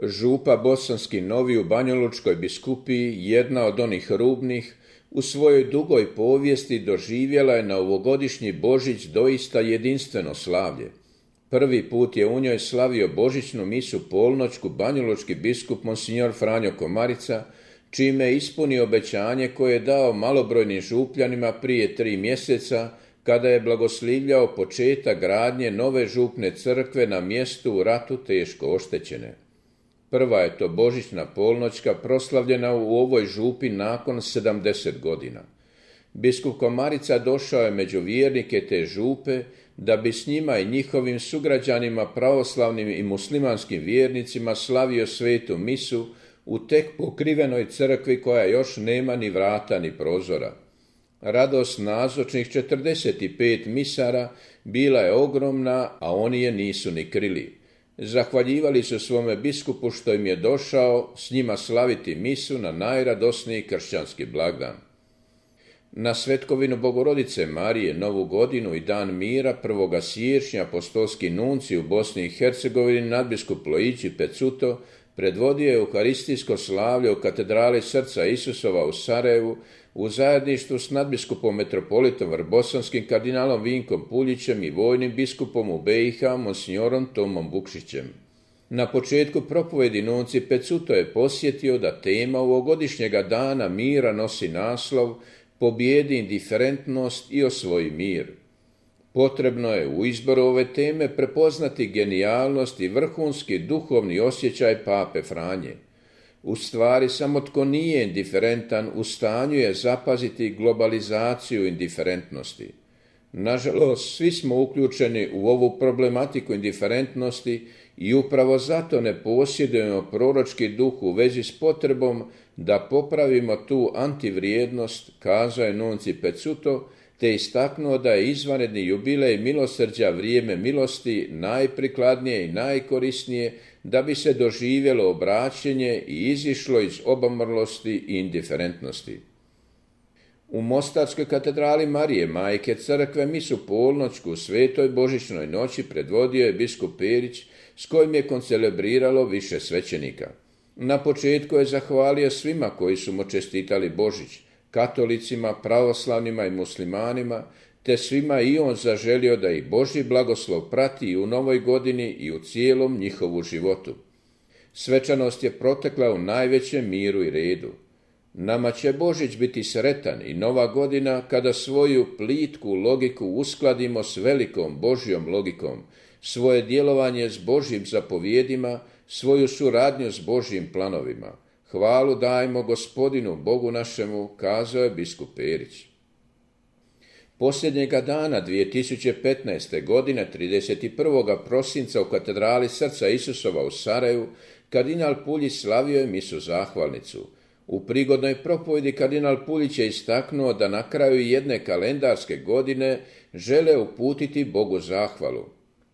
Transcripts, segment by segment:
Župa Bosanski Novi u Banjalučkoj biskupiji, jedna od onih rubnih, u svojoj dugoj povijesti doživjela je na ovogodišnji Božić doista jedinstveno slavlje. Prvi put je u njoj slavio božićnu misu polnoćku banjalučki biskup monsignor Franjo Komarica, čime je ispunio obećanje koje je dao malobrojnim župljanima prije 3 mjeseca, kada je blagoslivljao početak gradnje nove župne crkve na mjestu u ratu teško oštećene. Prva je to božićna polnoćka proslavljena u ovoj župi nakon 70 godina. Biskup Komarica došao je među vjernike te župe da bi s njima i njihovim sugrađanima pravoslavnim i muslimanskim vjernicima slavio svetu misu u tek pokrivenoj crkvi koja još nema ni vrata ni prozora. Radost nazočnih 45 misara bila je ogromna, a oni je nisu ni krili. Zahvaljivali su svome biskupu što im je došao s njima slaviti misu na najradosniji kršćanski blagdan. Na svetkovinu Bogorodice Marije, Novu godinu i Dan mira 1. siječnja apostolski nuncij u Bosni i Hercegovini nadbiskup Lojići Pecuto predvodio je euharistijsko slavlje u katedrali Srca Isusova u Sarajevu u zajedništvu s nadbiskupom metropolitom Vrbosanskim kardinalom Vinkom Puljićem i vojnim biskupom u BiH monsignorom Tomom Vukšićem. Na početku propovedi nuncij Pecuto je posjetio da tema ovogodišnjega dana mira nosi naslov Pobjedi indiferentnost i osvoji mir. Potrebno je u izboru ove teme prepoznati genijalnost i vrhunski duhovni osjećaj pape Franje. U stvari, samo tko nije indiferentan u stanju je zapaziti globalizaciju indiferentnosti. Nažalost, svi smo uključeni u ovu problematiku indiferentnosti i upravo zato ne posjedujemo proročki duh u vezi s potrebom da popravimo tu antivrijednost, kazao je nuncij Pecuto, te istaknuo da je izvanredni jubilej milosrđa vrijeme milosti najprikladnije i najkorisnije da bi se doživjelo obraćenje i izišlo iz obamrlosti i indiferentnosti. U Mostarskoj katedrali Marije Majke Crkve misu polnoćku u svetoj božićnoj noći predvodio je biskup Perić, s kojim je koncelebriralo više svećenika. Na početku je zahvalio svima koji su mu čestitali Božić, katolicima, pravoslavnima i muslimanima, te svima i on zaželio da ih Božji blagoslov prati i u novoj godini i u cijelom njihovu životu. Svečanost je protekla u najvećem miru i redu. Nama će Božić biti sretan i nova godina kada svoju plitku logiku uskladimo s velikom Božjom logikom, svoje djelovanje s Božjim zapovjedima, svoju suradnju s Božjim planovima. Hvalu dajmo Gospodinu Bogu našemu, kazao je biskup Perić. Posljednjega dana 2015. godine, 31. prosinca u katedrali Srca Isusova u Sarajevu, kardinal Puljić slavio je misu zahvalnicu. U prigodnoj propovjedi kardinal Puljić je istaknuo da na kraju jedne kalendarske godine žele uputiti Bogu zahvalu.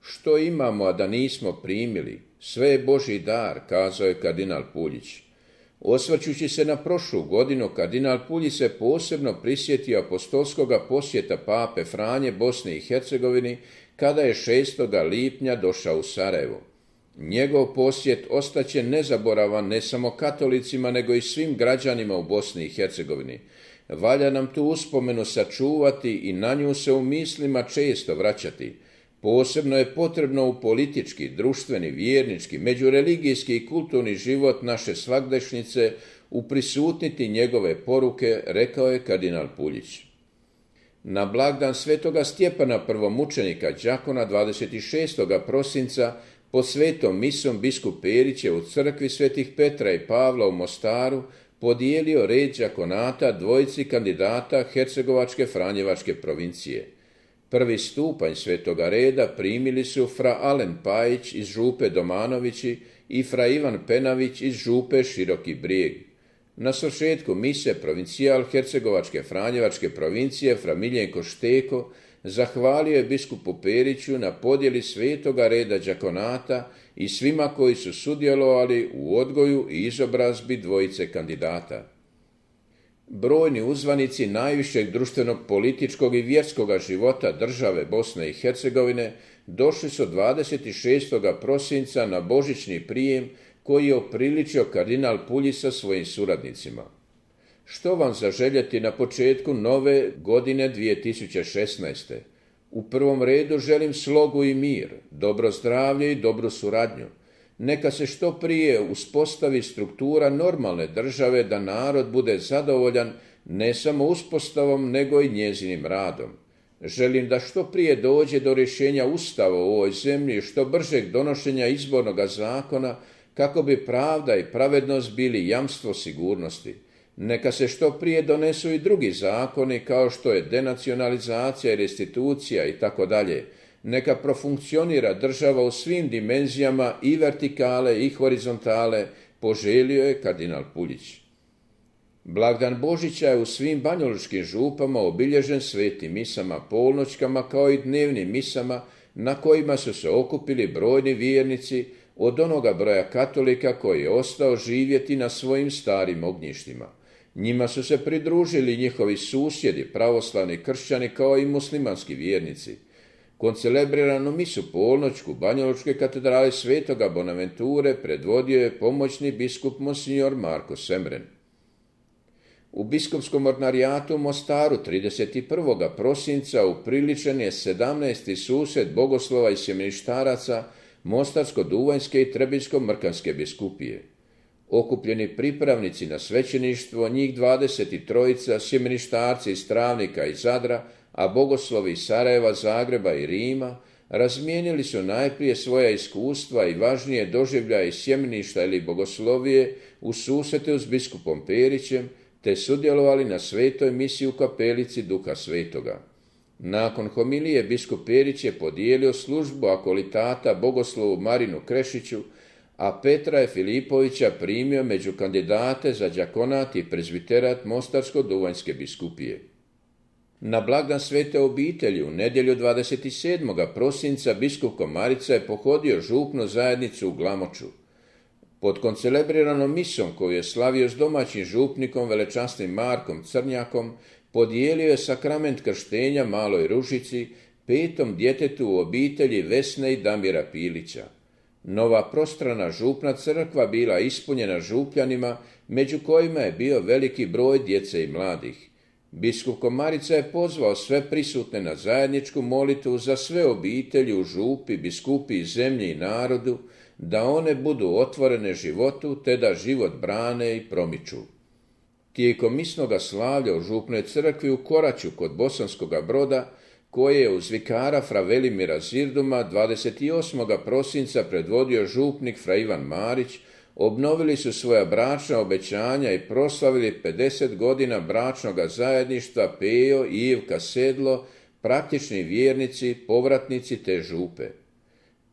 Što imamo, a da nismo primili? Sve je Božji dar, kazao je kardinal Puljić. Osvrćući se na prošlu godinu, kardinal Puljić se posebno prisjetio apostolskoga posjeta pape Franje Bosni i Hercegovini kada je 6. lipnja došao u Sarajevo. Njegov posjet ostaće nezaboravan ne samo katolicima, nego i svim građanima u Bosni i Hercegovini. Valja nam tu uspomenu sačuvati i na nju se u mislima često vraćati. Posebno je potrebno u politički, društveni, vjernički, međureligijski i kulturni život naše svagdašnjice uprisutniti njegove poruke, rekao je kardinal Puljić. Na blagdan svetoga Stjepana prvomučenika đakona 26. prosinca pod svetom misom biskup Perić je u crkvi svetih Petra i Pavla u Mostaru podijelio red đakonata dvojici kandidata Hercegovačke Franjevačke provincije. Prvi stupanj svetoga reda primili su fra Alen Pajić iz župe Domanovići i fra Ivan Penavić iz župe Široki Brijeg. Na svršetku mise provincijal Hercegovačke Franjevačke provincije fra Miljenko Šteko zahvalio je biskupu Periću na podjeli svetoga reda đakonata i svima koji su sudjelovali u odgoju i izobrazbi dvojice kandidata. Brojni uzvanici najvišeg društvenog, političkog i vjerskog života države Bosne i Hercegovine došli su 26. prosinca na božićni prijem koji je opriličio kardinal Puljić sa svojim suradnicima. Što vam zaželjeti na početku nove godine 2016. U prvom redu želim slogu i mir, dobro zdravlje i dobru suradnju. Neka se što prije uspostavi struktura normalne države da narod bude zadovoljan ne samo uspostavom nego i njezinim radom. Želim da što prije dođe do rješenja Ustava u ovoj zemlji i što bržeg donošenja izbornog zakona kako bi pravda i pravednost bili jamstvo sigurnosti. Neka se što prije donesu i drugi zakoni kao što je denacionalizacija i restitucija i tako dalje. Neka profunkcionira država u svim dimenzijama i vertikale i horizontale, poželio je kardinal Puljić. Blagdan Božića je u svim banjalučkim župama obilježen svetim misama, polnoćkama kao i dnevnim misama na kojima su se okupili brojni vjernici od onoga broja katolika koji je ostao živjeti na svojim starim ognjištima. Njima su se pridružili njihovi susjedi, pravoslavni kršćani kao i muslimanski vjernici. Koncelebriranu misu polnoćku Banjalučke katedrale Svetoga Bonaventure predvodio je pomoćni biskup monsignor Marko Semren. U biskupskom ordinarijatu u Mostaru 31. prosinca upriličen je 17. susret bogoslova i sjemeništaraca Mostarsko-Duvanjske i Trebinjsko-Mrkanske biskupije. Okupljeni pripravnici na svećeništvo, njih 23, sjemeništarci iz Travnika i Zadra, a bogoslovi iz Sarajeva, Zagreba i Rima, razmijenili su najprije svoja iskustva i važnije doživljaje iz sjemeništa ili bogoslovije u susretu s biskupom Perićem, te sudjelovali na svetoj misi u kapelici Duha Svetoga. Nakon homilije biskup Perić je podijelio službu akolitata bogoslovu Marinu Krešiću, a Petra je Filipovića primio među kandidate za đakonat i prezbiterat Mostarsko-Duvanjske biskupije. Na blagdan Svete obitelji u nedjelju 27. prosinca biskup Komarica je pohodio župnu zajednicu u Glamoču. Pod koncelebriranom misom koju je slavio s domaćim župnikom velečasnim Markom Crnjakom, podijelio je sakrament krštenja maloj Ružici, 5. djetetu u obitelji Vesne i Damira Pilića. Nova prostrana župna crkva bila ispunjena župljanima, među kojima je bio veliki broj djece i mladih. Biskup Komarica je pozvao sve prisutne na zajedničku molitvu za sve obitelji u župi, biskupi i zemlji i narodu, da one budu otvorene životu, te da život brane i promiču. Tijekom misnoga slavlja u župnoj crkvi u Koraću kod Bosanskoga Broda, koje je uz vikara fra Velimira Zirduma 28. prosinca predvodio župnik fra Ivan Marić, obnovili su svoja bračna obećanja i proslavili 50 godina bračnoga zajedništva Pejo i Ivka Sedlo, praktični vjernici, povratnici te župe.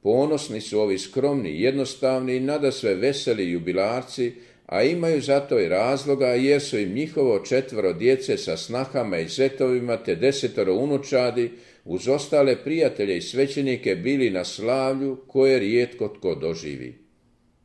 Ponosni su ovi skromni, jednostavni i nadasve veseli jubilarci, a imaju zato i razloga jer su im njihovo 4 djece sa snahama i zetovima te 10 unučadi uz ostale prijatelje i svećenike bili na slavlju koje rijetko tko doživi.